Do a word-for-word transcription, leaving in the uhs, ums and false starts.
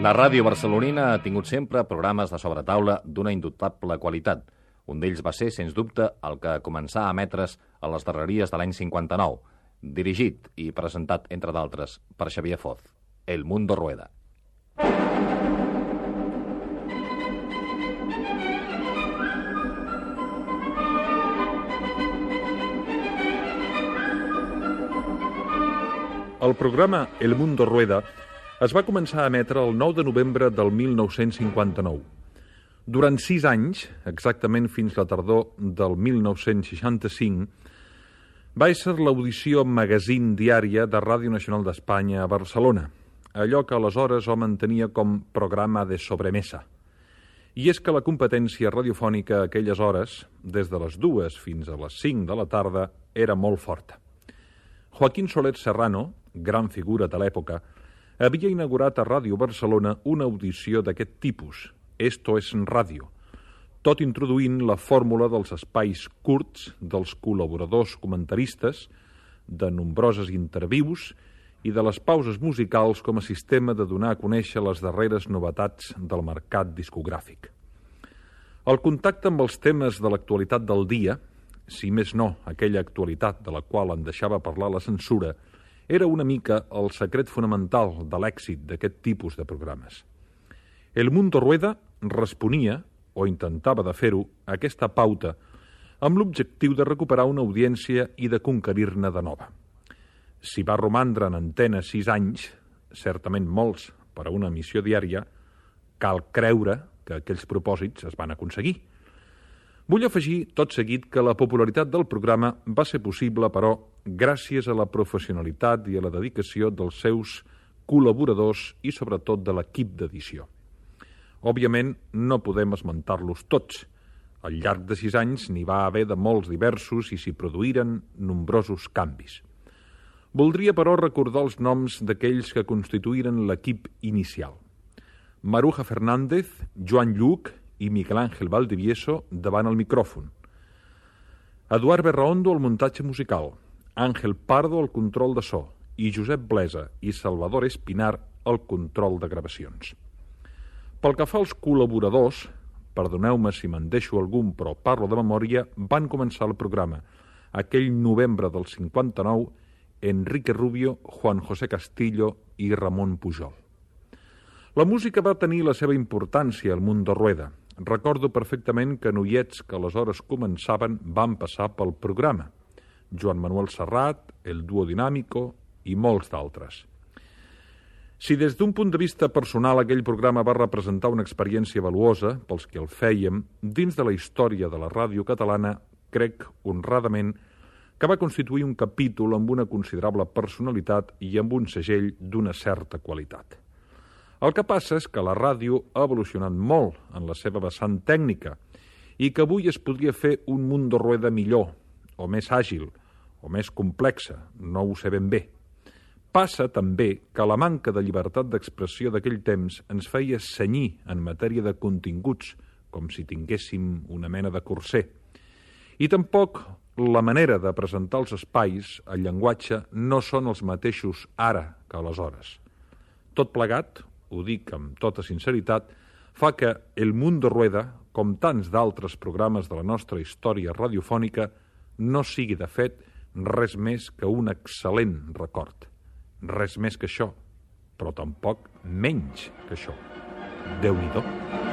La ràdio barcelonina ha tingut sempre programes de sobretaula d'una indubtable qualitat. Un d'ells va ser, sens dubte, el que començà a emetre's a les darreries de l'any cinquanta-nou, dirigit i presentat, entre d'altres, per Xavier Foz, El Mundo Rueda. El programa El Mundo Rueda es va començar a emetre el nou de novembre del mil nou-cents cinquanta-nou. Durant sis anys, exactament fins la tardor del mil nou-cents seixanta-cinc, va ésser l'audició magazín diària de Ràdio Nacional d'Espanya a Barcelona, allò que aleshores hom entenia com programa de sobremesa. I és que la competència radiofònica a aquelles hores, des de les dues fins a les cinc de la tarda, era molt forta. Joaquín Soler Serrano, gran figura de l'època, havia inaugurat a Ràdio Barcelona una audició d'aquest tipus, Esto es Radio, tot introduint la fórmula dels espais curts dels col·laboradors comentaristes, de nombroses intervius i de les pauses musicals com a sistema de donar a conèixer les darreres novetats del mercat discogràfic. El contacte amb els temes de l'actualitat del dia, si més no aquella actualitat de la qual en deixava parlar la censura, era una mica el secret fonamental de l'èxit d'aquest tipus de programes. El Mundo Rueda responia, o intentava de fer-ho, a aquesta pauta, amb l'objectiu de recuperar una audiència i de conquerir-ne de nova. Si va romandre en antena sis anys, certament molts per a una emissió diària, cal creure que aquells propòsits es van aconseguir. Vull afegir, tot seguit, que la popularitat del programa va ser possible, però, gràcies a la professionalitat i a la dedicació dels seus col·laboradors i, sobretot, de l'equip d'edició. Òbviament, no podem esmentar-los tots. Al llarg de sis anys n'hi va haver de molts diversos i s'hi produïren nombrosos canvis. Voldria, però, recordar els noms d'aquells que constituïren l'equip inicial. Maruja Fernández, Joan Lluc i Miguel Ángel Valdivieso davant el micròfon. Eduard Berraondo al muntatge musical, Àngel Pardo al control de so i Josep Blesa i Salvador Espinar al control de gravacions. Pel que fa als col·laboradors, perdoneu-me si me'n deixo algun, però parlo de memòria, van començar el programa, aquell novembre del cinquanta-nou, Enrique Rubio, Juan José Castillo i Ramon Pujol. La música va tenir la seva importància al Mundo Rueda. Recordo perfectament que noiets que aleshores començaven van passar pel programa. Joan Manuel Serrat, el Duo Dinámico i molts d'altres. Si des d'un punt de vista personal aquell programa va representar una experiència valuosa pels que el fèiem, dins de la història de la ràdio catalana, crec honradament que va constituir un capítol amb una considerable personalitat i amb un segell d'una certa qualitat. El que passa és que la ràdio ha evolucionat molt en la seva vessant tècnica i que avui es podria fer un Mundo Rueda millor, o més àgil, o més complexa, no ho sé ben bé. Passa també que la manca de llibertat d'expressió d'aquell temps ens feia cenyir en matèria de continguts, com si tinguéssim una mena de corser. I tampoc la manera de presentar els espais, el llenguatge, no són els mateixos ara que aleshores. Tot plegat, ho dic amb tota sinceritat, fa que El Mundo Rueda, com tants d'altres programes de la nostra història radiofònica, no sigui, de fet, res més que un excel·lent record. Res més que això, però tampoc menys que això. Déu-n'hi-do.